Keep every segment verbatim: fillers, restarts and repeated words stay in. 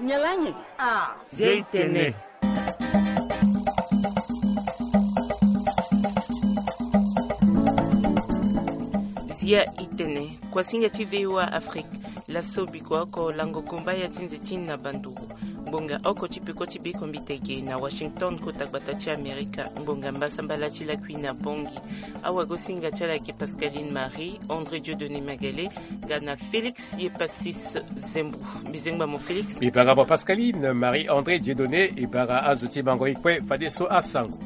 Nyalangi. Ah. Zia itene. Zia itene. Kuasinga ti V O A Afrique. Laso biko oko lango gomba ya ti nze ti na banduru. Ngbonga oko ti peko ti bekombi tege na Washington, kota gbata ti Amerika. Ngbonga mbasambala ti lakui na Bangui. Awagosinga ti ala ayeke Pascaline Marie, André Dieudonné Magale, nga na Félix Yepasis Zembo. Mbi zengba mo Félix. Mbi bara mo Pascaline Marie André Dieudonné, e bara azo ti bango ye kue fadeso asango.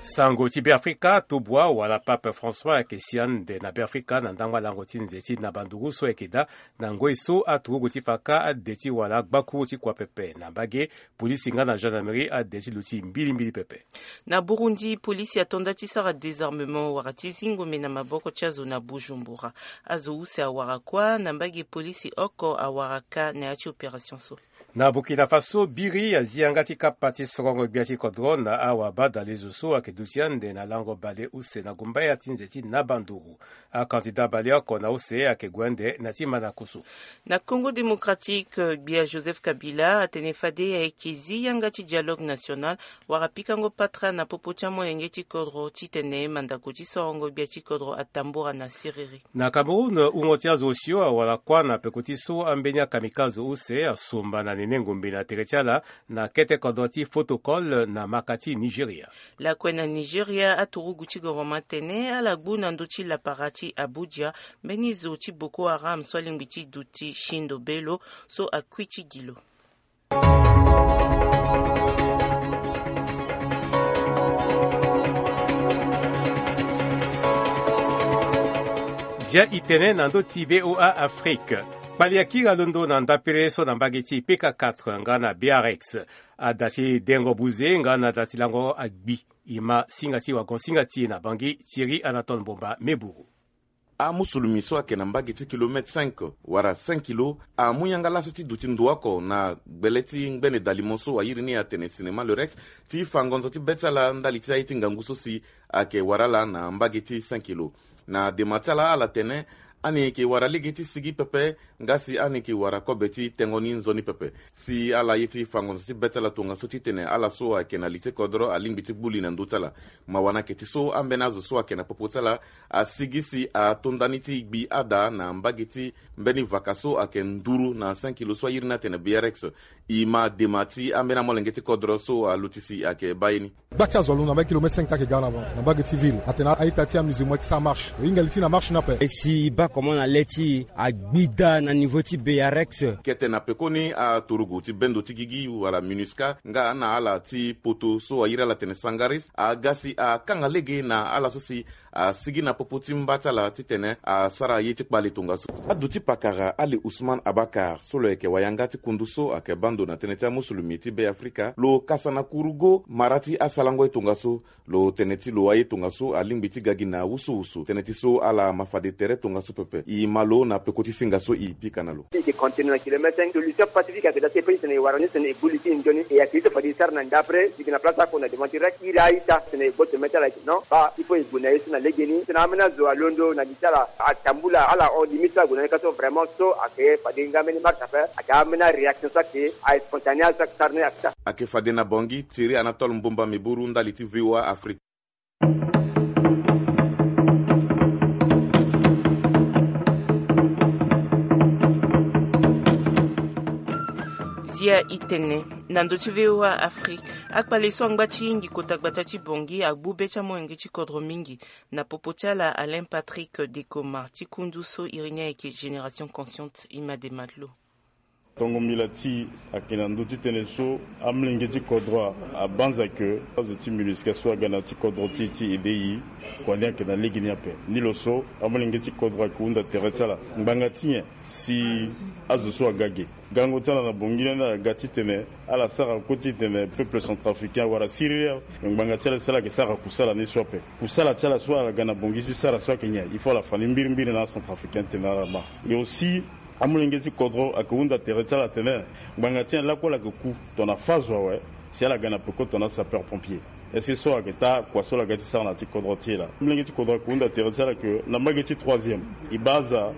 Sango ti Beafrika, tubua wala Pape François ayeke si ande na Beafrika na ndangba lango ti nze ti na banduru so ayeke daa na ngoi so aturugu ti faka ade ti wala gbakuru ti kua pepe na mbage, polisi nga na gendarmerie ade ti luti mbilimbili pepe. Na Burundi, polisi ato nda ti sara désarmement wala ti zi ngombe na maboko ti azo na Bujumbura. Azo use awara kuâ na mbage, polisi oko awara kâ na ya ti opération so. Na Burkina Faso, biri azi yanga ti kapa ti sorongo gbia ti kodro na awabadalezo so ayeke duti ande na lango bale use na gumbaya ti nze ti na banduru. Akandida baleoko na use ayeke gue ande na ti mandaku so. Na Congo Démocratique, gbia Joseph Kabila atene fade ayeke zi yanga ti dialogue national wala pikango patara na popo ti amolenge ti kodro titene mandaku ti sorongo gbia ti kodro atambura na siriri. Na Cameroun, wungo ti azo osio awara kuâ na peko ti so ambeni akamikaze use asomba na nene ngombe na tere ti ala na kete kodro ti Fotokol na maka ti Nigeria. Lakue na Nigeria, aturugu ti gouvernement atene ala gbu na ndö ti lapara ti Abuja mbeni zo ti Boko Haram so alingbi ti duti Shindo Bello so akui ti gi lo. Zia itene na ndö ti V O A Afrique. Kpali akiri alondo na ndapere so na mbage ti P K quatre nga na B R X. Ada ti dengo buze nga na da ti lango agbi. E ma singa ti wagon singa ti e na Bangui, Thierry Anatole Mbomba Meburu. Amusulumi so ayeke na mbage ti kilomètre cinq wala cinq kilo amu yanga laso ti duti ndo oko na gbele ti ngbene dalimo so airi ni atene Cinéma Le Rex ti fa ngonzo ti be ti ala ndali ti aye ti ngangu so si ayeke wara ala na mbage ti cinq kilo. Na dema ti ala ala tene ani yeke wara lege ti sigi pepe nga si ani yeke wara kobe ti tengo ni nzoni pepe. Si ala ye ti fa ngonzo ti be ti ala tongaso titene ala so ayeke na li ti kodro alingbi ti gbu li na ndö ti ala. Mawa na yeke ti so ambeni azo so ayeke na popo ti ala asigi si ato nda ni ti gbi ada na mbage ti mbeni vaka so ayeke nduru na cinq kilo so airi ni atene B R X. E ma dema ti ambeni amolenge ti kodro so aluti si ayeke baa ye ni. Gba ti azo alondo na mbage kilomètre cinq ti ayeke ga na, na mbage ti ville atene a-ita ti amusulman ti sara marche. E hinga li ti na marche ni ape. E si e baa comment na le ti e agbi daa na niveau ti B R X. Kete na pekoni aturugu ti bendo ti gigi wala MINUSCA nga na ala ti poto so airi ala tene Sangaris aga si akanga lege na ala so si asigi na popo ti mba ti ala titene asara ye ti kpale tongaso. Aduti pakara Ali Ousmane Abakar so lo yeke wayanga ti kundu so ayeke baa ndo na tënë ti amusulumi ti Be Afrika lo kasa na kurugo mara ti asalango ye tongaso. Lo tene ti lo aye tongaso alingbi ti ga gi na wusuwusu tënë ti so ala ma fade tere tongaso pepe. E ma lo na peko ti singa so e pika na lo. E yeke continue na kilomètre cinq, solution pacifique ayeke daa ti e pe ti tene e wara ni tene e gbu li ti e nzoni e ayeke ye so fade e sara na ndapre. E yeke na place oko na devant ti rek iri a-ita tene e gboto mê ti ala. Non, baa il faut e gue na ye so na legeni titene ambeni azo alondo na li ti ala atambula ala hon limite so ague na ni ka so vraiment so ayeke fade nga mbeni marche ape. Ayeke ambeni aréaction so ayeke a-spontané so ayeke sara ni ayeke daa. Ayeke fade na Bangui, Thierry Anatole Mbomba Meburu ndali ti V O A Afrique. Zia itene na ndö ti V O A Afrique. Akpale so angba ti hingi kota gbata ti Bangui agbu be ti amolenge ti kodro mingi. Na popo ti ala Alain Patrick Dekoma ti kundu so iri ni ayeke Génération Consciente, e ma dema ti lo. Tongo mbila ti e ayeke na ndö ti tënë so amolenge ti kodro abanza ke azo ti MINUSCA so aga na ya ti kodro ti e ti ede e. Kua ni ayeke na legeni ape. Ni lo so amolenge ti kodro ayeke hunda tere ti ala ngbanga ti nyen si azo so aga ge. Gango ti ala na Bangui ni ala ga titene ala sara kue titene peuple centrafricain wala siriri awe. Me ngbanga ti ala si ala yeke sara kusala ni so ape. Kusala ti ala so ala ga na Bangui ti sara so ayeke nyen? Il faut ala fa ni mbirimbiri na acentrafricain titene ala ma. Et aussi amolenge ti kodro ayeke hunda tere ti ala atene ngbanga ti nyen lakue ala yeke ku tongana fazo awe si ala ga na peko tongana sapeur pompier? Est-ce que so ayeke taa kua so ala ga ti sara na ya ti kodro ti e laa? Amolenge ti kodro ayeke hunda tere ti ala ke na mbage ti troisième e baa aza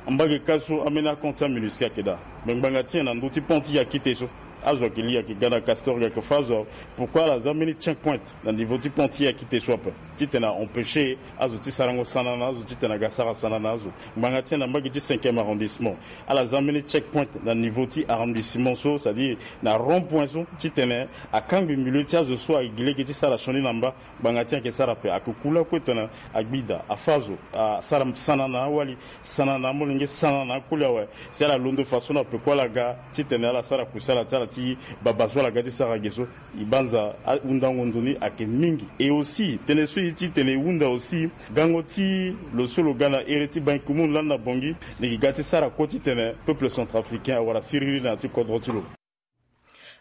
Mbage kâ so ambeni akan ti aMINUSCA ayeke daa. Me ngbanga ti nyen na ndö ti pont ti Yakite so? Azo ayeke li, ayeke ga na Castor, ga ayeke fâ azo. Pourquoi ala za ambeni checkpoint na niveau ti pont ti Yakite so ape, titene a empêcher azo ti sarango sana na azo, titene aga sara sana na azo? Ngbanga ti nyen na mbage ti cinquième arrondissement ala za ambeni checkpoint na niveau ti arrondissement so, c'est-à-dire na rond-point so, titene akangbi milieu ti azo so ayeke gi lege ti sara sioni na mba? Ngbanga ti nyen ayeke sara ape? Ayeke ku lakue titene agbi daa, afâ azo, asara sana na awali, sana na amolenge, sana na akoli awe. Si ala londo façon na peko ala ga titene ala sara kusala ti ala ti baba so ala ga ti sara ge so, e banza ahundango ndo ni ayeke mingi. Et aussi tënë so e ye titene e hunda aussi, gango ti lo so lo ga na here ti Ban Ki-moon lani na Bangui, ni gi ga ti sara kue titene peuple centrafricain awara siriri na ya ti kodro ti lo.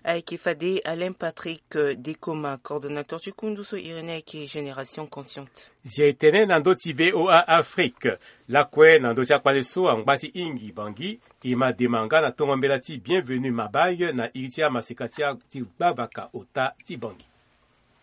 Ayeke fade Alain Patrick, euh, Dekoma, coordonnateur ti kundu so iri ni ayeke Génération Consciente. Zia e tene na ndö ti V O A Afrique. Lakue na ndö ti akpale so angba ti hingi Bangui, e ma dema nga na tongo mbela ti Bienvenu Mabaye na iri ti amaseka ti a, ti gbavaka ota ti Bangui.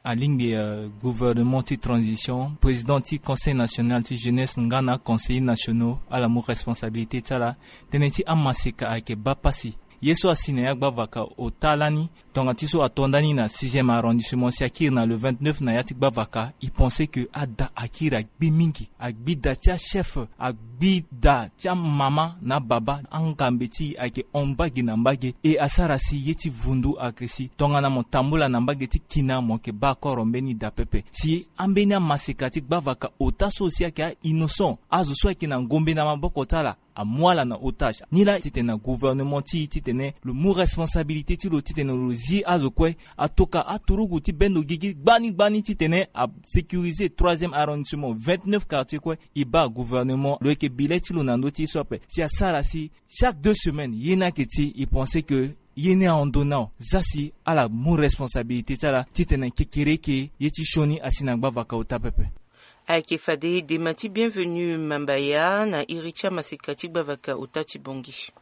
Alingbi, euh, gouvernement ti transition, président ti Conseil national ti jeunesse nga na aconseillers nationaux, ala mu responsabilité ti ala. Tënë ti amaseka ayeke baa pasi. Ye so asi na ya gbavaka ota lani, tongana ti so ato nda ni na sixième arrondissement, si akiri na le vingt-neuf na ya ti gbavaka, e pense que ada akiri agbi mingi. Agbi da ti achef, agbi da ti amama na ababa. Angambe ti e ayeke hon mbage na mbage, e asara si ye ti vundu ayeke si. Tongana mo tambula na mbage ti kina, mo yeke baa koro mbeni da pepe. Si ambeni amaseka ti gbavaka ota so si ayeke a-innocent, azo so ayeke na ngombe na maboko ti ala, amu ala na otage. Ni laa titene na gouvernement ti e titene lo mu responsabilité ti lo titene lo zi azo kue. Atoka aturugu ti bendo gigi gbani gbani titene asécuriser troisième arrondissement, vingt-neuf quartier kue. E baa gouvernement lo yeke bi le ti lo na ndö ti ye so ape, si asara si chaque deux semaines, ye ni ayeke ti e pense que ye ni ahon ndo nao. Za si ala mu responsabilité ti ala titene kekereke ye ti sioni asi na gbavaka ota pepe. Ayeke fade dema ti Bienvenu Mabaya na iri ti amaseka ti gbavaka ota ti Bangui.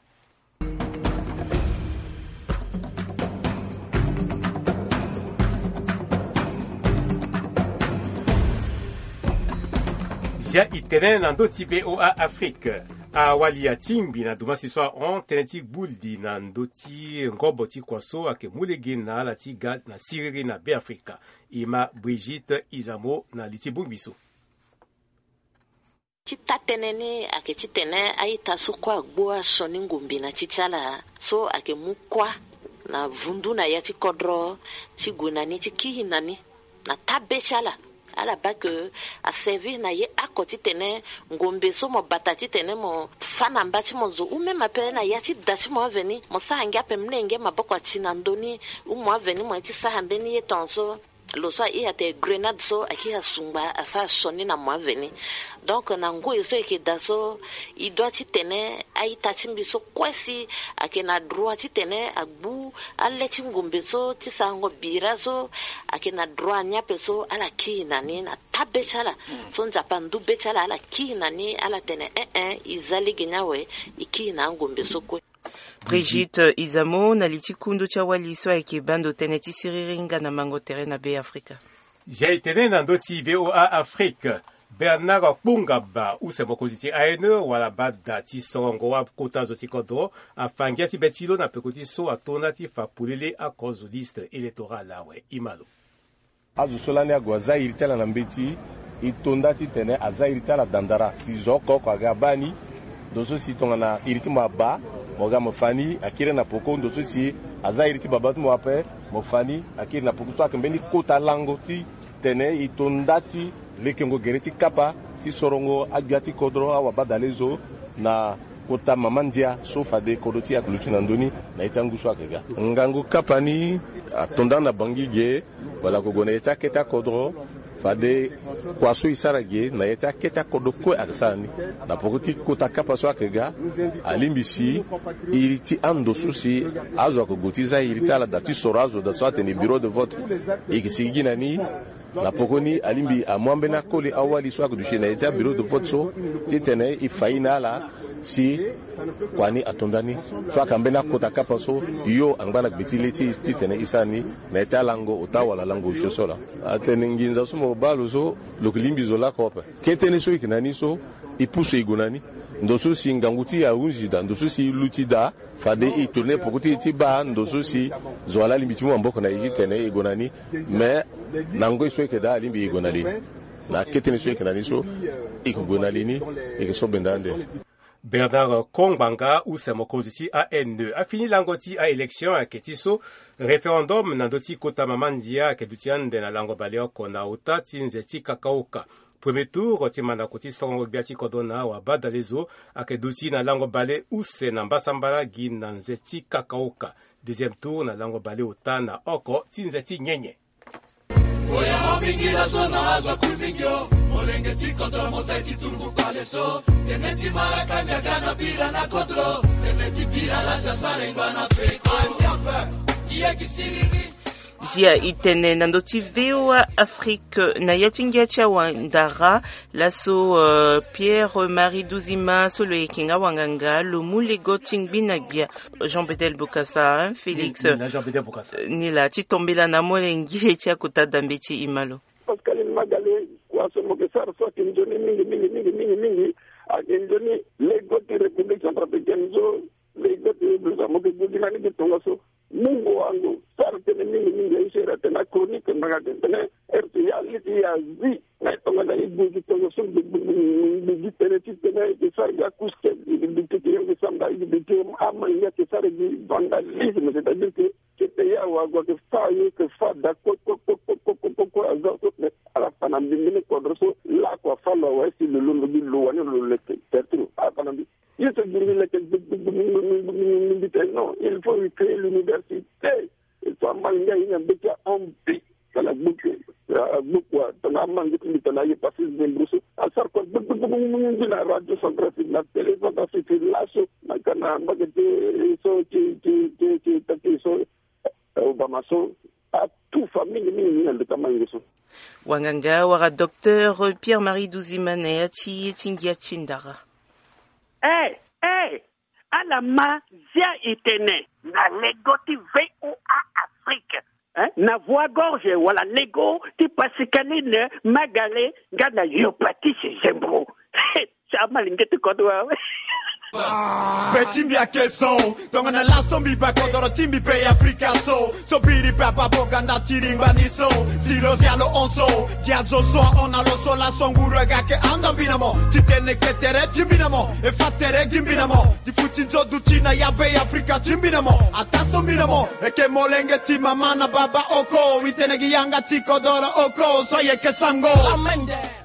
Zia e tene na ndö ti V O A Afrique. Awali atingbi na dumasi so ahon tënë ti gbu li na ndö ti ngobo ti kua so ayeke mu lege na ala ti ga na siriri na Beafrika. E ma Brigitte Izamo na li ti bongbi so. Ti taa-tënë ni ayeke titene a-ita so kue agbu asioni ngombe na ti ti ala so ayeke mu kuâ na vundu na ya ti kodro ti gue na ni ti kiri na ni na taa be ti ala. Ala baa ke aservir na ye oko titene ngombe so mo bata titene mo fâ na mba ti mo zo ou même ape na ya ti da ti mo aveni mo sara ngia ape, molenge maboko ati na ndö ni ou mo aveni mo ye ti sara mbeni ye tongaso. Lo so ahiri atene grenade so akiri asungba asara sioni na mo aveni. Donc na ngoi so e yeke daa so, e doit titene a-ita ti mbi so kue si ayeke na droit titene agbu ale ti ngombe so ti sarango bira so, ayeke na droit ni ape so ala kiri na ni na taa be ti ala. So Nzapa ndu be ti ala ala kiri na ni ala tene eh eh e za lege ni awe. E kiri na angombe so kue. Brigitte Izamo na li ti kundu ti awali so ayeke baa ndo tënë ti siriri nga na mango tere na Beafrika. Zia e tene na ndö ti V O A Afrique. Bernard Kpongaba use mokonzi ti A N E wala baa da ti sorongo akota zo ti kodro afa ngia ti be ti lo na peko ti so ato nda ti fa polele oko zo liste électorale awe. E ma lo. Azo so lani ague aza iri ti ala na mbeti, e to nda titene aza iri ti ala dandara si zo oko oko aga abaa ni. Ndo so si tongana iri ti mo abaa, mo ga mo fa ni akiri na poko. Ndo so si aza iri ti baba ti mo ape, mo fa ni akiri na poko. So ayeke mbeni kota lango titene e to nda ti lekengo gere ti kapa ti sorongo agbia ti kodro awabadale zo na kota mama ndia so fade kodro ti e ayeke luti na ndö ni na ye ti angu so ayeke ga. Ngangu kapa ni ato nda na Bangui ge, wala ague gue na ya ti akete akodro, fade kua so e sara ge na ya ti akete akodro kue ayeke sara ni. Na poko ti kota kapa so ayeke ga, alingbi si iri ti ando so si azo ayeke gue ti za iri ti ala da ti soro azo da so atene bureau de vote, e yeke sigi gi na ni. Na poko ni alingbi amu ambeni akoli awali so ayeke duti na ya ti abureau de vote so titene e fa ye na ala si kua ni ato nda ni. So ayeke ambeni akota kapa so yo angba na gbe ti le ti e titene e sara ni na ya ti alango ota wala lango osio so laa. Atene nginza so mo baa lo so lo yeke lingbi zo lakue ape. Kete ni so e yeke na ni so e pusu e gue na ni. Ndo so si ngangu ti e ahunzi daa, ndo so si e luti daa, fade e tourner peko ti e ti baa ndo so si zo wa laa alingbi ti mu maboko na e titene e gue na ni. Mais na ngoi so e yeke daa alingbi e gue na li ni. Na akete ni so e yeke na ni so, e yeke gue na li ni, e yeke so benda ande. Bernard Kongbanga, use mokonzi ti A N E, afini lango ti a-élection ayeke ti so référendum na ndö ti kota mama ndia ayeke duti ande na lango baleoko na ota ti nze ti kakaoka. Premier tour ti mandako ti sarango gbia ti kodro na wabadalezo ayeke duti na lango bale use na mbasambala gi na nze ti kakaoka. Deuxième tour na lango bale ota na oko ti nze ti nyenye. Oyamba mingi laso na azo akui mingi o. Molenge ti kodro mosai ti turugu kpale so. Tene ti maraka miaga na bira na kodro. Tene ti bira lasi asara engba na peko. Aniamba. Iye gi siriri. Zia e tene na ndö ti V O A Afrique na ya ti ngia ti awandara. Laso, euh, Pierre Marie Duzima so lo yeke nga wanganga lo mu lego ti ngbi na gbia. Jean Bedel Bokassa, hein, Félix. Ni, ni na Jean Bedel Bokassa. Ni laa ti tombela na molenge ti akota dambe ti e, malo. Pascaline Magale, kua so mo yeke sara so ayeke nzoni mingi, mingi, mingi, mingi, mingi. Ayeke nzoni lego ti République Centrafricaine so, lego ti République mo yeke gue gi na ni gi tongaso. Mungo wango sara tënë mingi mingi, aye so iri atene achronique ngbanga tene tënë. Heure ti ya li ti ya zi na e tongana e gue gi tongaso, gbe gbe gbe gbe gi tënë ti tënë e yeke sara gi akouche, e yeke duti ti e yeke samba, e yeke duti ti e, amalenge ayeke sara gi vandalisme, c'est-à-dire que kete ya wago ayeke fa, e yeke fa daa kue kue kue kue kue kue aza so. Mais ala fa na mbi mbeni kodro so lakue afa lo awe si lo londo gi lo wani lo leke tertiro ala fa na mbi. Ye so gi mbi leke gbegbe mbi tene non, il faut recréer l'université. Il faut amalenge aye na mbeti ahambi. Tongana gbuku, gbuku tongana amalenge ti mbi tongana aye passer zembro so asara kua gbegbe gbegbe na radio Centrafrique, na télé Centrafrique laso, na ka na mbage ti so ti ti ti ti taki so, eh, Obama so, atout famille mingi mingi na ndeko amalenge so. Wanganga wala docteur Pierre Marie Duzima na ya ti ye ti ngia ti ndara. Eh, eh, ala ma zia e tene na lego ti V O A Afrique, hein? Na voie gorge wala lego ti Pascaline Magale nga na yo Patrice Zembro. Ti amalenge ti kodro awe. Be ti mbi ayeke so, tongana laso mbi baa kodoro ti mbi be Afrika so. So biri pe abaa bonga nda ti ringba ni so. Si lo zia lo hon so, gi azo so ahon na lo so, laso nguru aga ayeke handa mbi na mo. Ti tene ke tere ti mbi na mo, e fa tere gi mbi na mo. Ti futi nzo duti na ya be Afrika ti mbi na mo. Ataa so mbi na mo, e ke molenge ti mama na baba oko. E tene gi yanga ti kodoro oko so e yeke sango.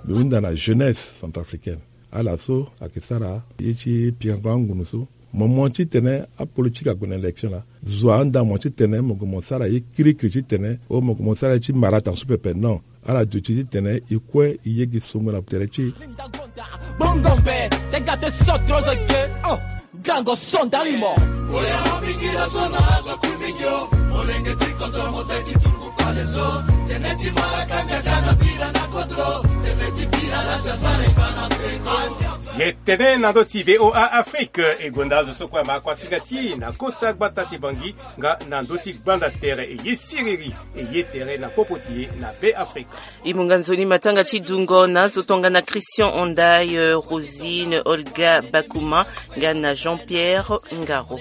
Mbi hunda na jeunesse centrafricaine. Ala so ayeke sara ye ti pirango angunu so. Mo mo titene apolitike ague na élection laa, zo ahunda mo titene mo gue mo sara ye kirikiri titene o mo gue mo sara ye ti mara atan so pepe. Non, ala duti titene e kue e ye gi songo na tere ti e. Bongo mbe te ga te so trozo ge. Oh, gango so ndali mo. Oya mabingila so na azo akui mingi o. Molenge ti kodro mosai ti turugu kpale so. Tene ti mara kanga ga na bira na kodro. Tene ti bira la sasare bana peko. Ye tene na ndö ti V O A Afrique, e gonda azo so kue ama kuasinga ti e na kota gbata ti Bangui nga na ndö ti gbanda tere, e ye siriri, e ye tere na popo ti e na Be Afrika. E mu nga nzoni matanga ti dungo na azo tongana Christian Ondaye, Rosine, Olga Bakouma nga na Jean-Pierre Ngaro.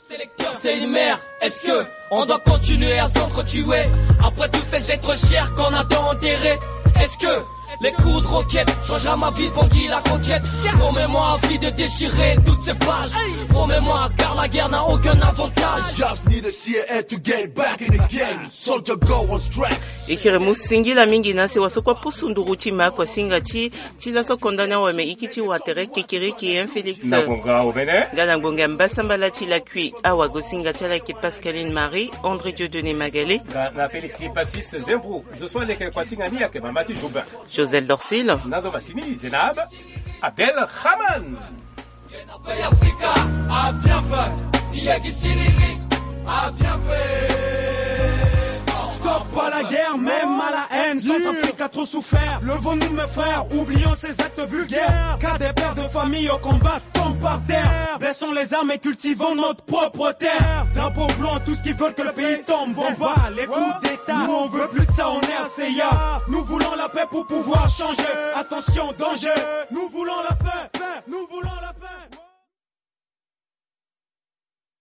Sélecteur, c'est une mère. Est-ce que on doit continuer à s'entretuer après tous ces êtres chers qu'on a tant enterrés? Est-ce que les coups de roquette changera ma vie, Bangui la conquête? Promets-moi à vie de déchirer toutes ces pages. Promets-moi car la guerre n'a aucun avantage. Just need a C A to get back in the game. Soldier go on strike. E kiri mu singila mingi na sewa so kue apusu nduru ti ma kuasinga ti ti laso konda ni awe me iki ti wa tere kekereke, hein, Félix? Na ngonga omene. Nga na ngonga mbasambala ti lakui awagosinga ti ala yeke Pascaline Marie, André Dieudonné Magalé. Nga na Félix Passis Zembrou. Zo so aleke kuasinga ni ayeke mama ti Joubin. Josel Dorcil. Na ndo masini Zenab Abdel Rahman. Stop à la guerre, même à la haine. Centrafrique a trop souffert. Levons-nous, mes frères, oublions ces actes vulgaires. Car des pères de famille au combat tombent par terre. Baissons les armes et cultivons notre propre terre. Drapeau blanc, tous ceux qui veulent que le pays tombe. On bat les coups d'État. Nous, on veut plus de ça en R C A. Nous voulons la paix pour pouvoir changer. Attention, danger. Nous voulons la paix. Nous voulons la paix.